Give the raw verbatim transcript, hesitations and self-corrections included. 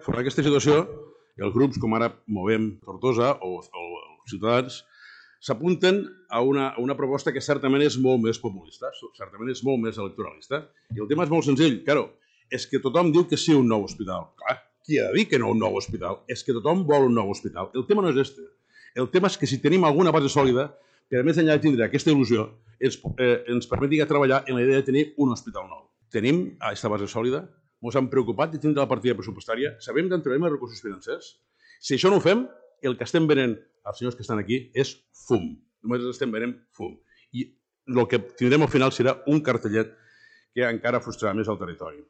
Fora aquesta situació, els grups com ara Movem Tortosa o, o els Ciutadans s'apunten a una, a una proposta que certament és molt més populista, certament és molt més electoralista. I el tema és molt senzill. Claro, és que tothom diu que sí a un nou hospital. Clar, qui ha de dir que no a un nou hospital? És que tothom vol un nou hospital. El tema no és este. El tema és que si tenim alguna base sòlida, que a més enllà de tindre aquesta il·lusió, ens, eh, ens permeti treballar en la idea de tenir un hospital nou. Tenim aquesta base sòlida, ens hem preocupat de tindre la partida pressupostària, sabem d'on trobem els recursos financers. Si això no ho fem, el que estem venent als senyors que estan aquí és fum. Només estem venent fum. I el que tindrem al final serà un cartellet que encara frustrarà més el territori.